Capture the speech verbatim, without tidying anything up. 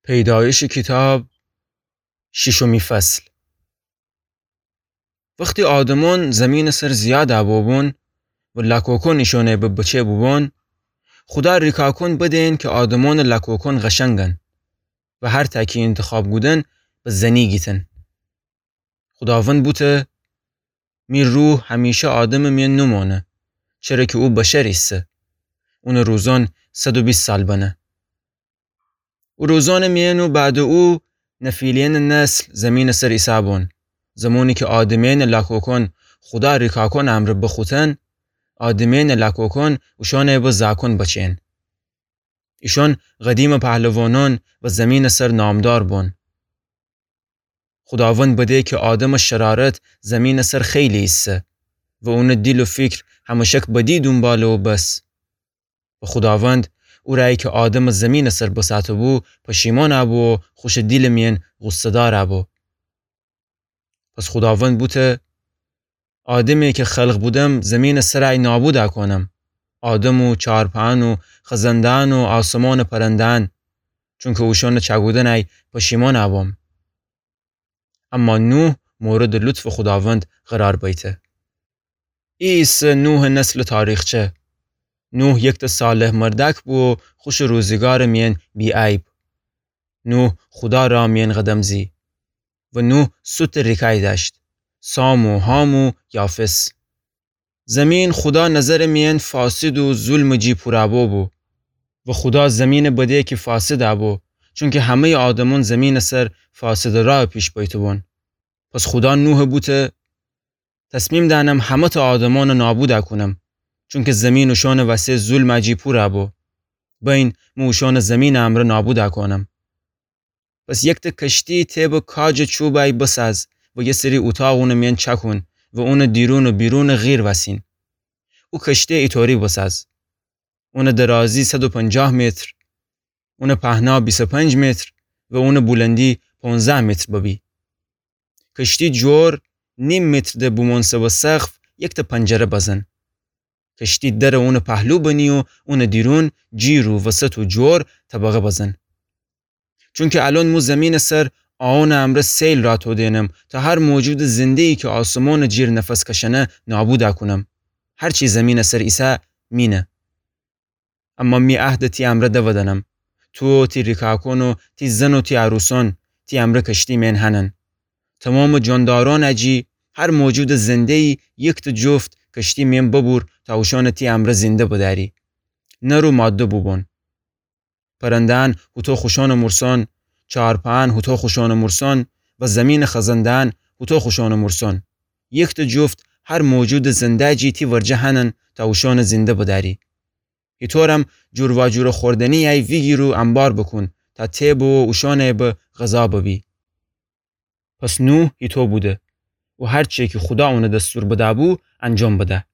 پیدایشٚ کیتاب، شیشمی فصل. وختی آدمأن زمینٚ سر زیاد بوبون و لاکوکأن ایشأنٚ بچه بوبون، خودا ریکاکأن بدین کی آدمأنٚ لاکوکأن قشنگن و هر تا کی اینتخاب کودن به زنی گیتن. خوداوند بوته: می روح همیشه آدمٚ میأن نومأنه، چره کی او بشر ایسه. اونٚ روزأن صد و بیست سال بنه. او روزأنٚ میأن و بعدٚ او نفیلیمٚ نسل زمینٚ سر ایسه‌بون. زمانی کی آدمه‌یأنٚ لاکوکأن خودا ریکاکأنٚ امرأ بخوتن، آدمه‌یأنٚ لاکوکأن اوشأنٚ به زاکأن بچه‌یأن. ایشأن قدیمٚ پهلوانأن و زمینٚ سر نامدار بون. خوداوند بده کی آدمٚ شرارت زمینٚ سر خیلی ایسه و اونٚ دیل و فیکر همشک بدی دونباله و بس. و خوداوند او رأیی کی آدمٚ زمینٚ سر بساته‌بو پشیمأن بو و خوشٚ دیلٚ میأن غوصه‌دار بو. پس خوداوند بوته: آدمی کی خلق بودم زمینٚ سر ای نابود کونم، آدم و چارپأن و خزنده‌أن و آسمانٚ پرنده‌أن، چونکی اوشأنٚ چأکودن ای پشیمأن بوم. اما نوح موردٚ لطفٚ خوداوند قرار بیته. ای ایسه نوحٚ نسلٚ تاریخچه. نوح یکتأ صالح مردأک بو و خوشٚ روزیگارٚ میأن بی‌عیب. نوح خودا رأ میأن قدم زی و نوح سوتٚ ریکأی دأشت، سام و حام و یافث. زمین خودا نظرٚ میأن فاسد و ظلمٚ جی پورَ بوبو. و خودا زمینٚ بده کی فاسد بو، چونکی همه‌یٚ آدمأن زمینٚ سر فاسدٚ رأ پیش بیته‌بون. پس خودا نوحٚ بوته: تصمیم دأنم همه‌تأ آدمأنٚ نابود کونم، چونکی زمین اوشأنٚ وسه ظلمٚ جی پورَ بو. بأیین مو اوشأنٚ زمینٚ امرأ نابود کونم. پس یکتأ کشتی تیبٚ کاجٚ چوبٚ ای بساز و یه سری اوتاق اونٚ میأن چأکون و اونٚ دیرون و بیرون غیر وأسین. او کشتی ایطوری بساز: اونٚ درازی صد و پنجاه متر، اونٚ پهنا بیست و پنج متر و اونٚ بلندی پونزده متر ببی. کشتی جور نیم متر ده بومؤنسه به سقف یکتأ پنجره بزن. کشتی درٚ اونٚ پهلو بنی و اونٚ دیرون جیر و وسط و جور طبقه بزن. چونکی الأن مو زمینٚ سر آونٚ امرأ سیل رأ تودینم تا هر موجودٚ زنده‌یی کی آسمانٚ جیر نفس کشأنه نابود کونم. هر چی زمینٚ سر ایسه مینه. اما می عهد تی امرأ دودأنم. تو و تی ریکاکؤن و تی زن و تی عروسؤن تی امرأ کشتی مئن هنن. تومامٚ جاندارأنٚ جی هر موجودٚ زنده‌یی یکتأ جفت کشتی مئن ببور تا اوشأنٚ تی امرأ زنده بدأری. نر و ماده بوبون. پرنده‌أن هوطو خوشأنٚ مورسأن، چارپأن هوطو خوشأنٚ مورسأن و زمینٚ خزنده‌أن هوطو خوشأنٚ مورسأن. یکتأ جفت هر موجودٚ زنده‌یٚ جی تی ورجه هنن تا اوشأنٚ زنده بدأری. هیطورم جورواجورٚ خوردنی‌یی ویگیر و انبار بوکون تا تی بو و اوشأنٚ به غذا ببی. پس نوح هیطو بوده و هر چی کی خودا اونٚ دستور بده‌بو انجام بده.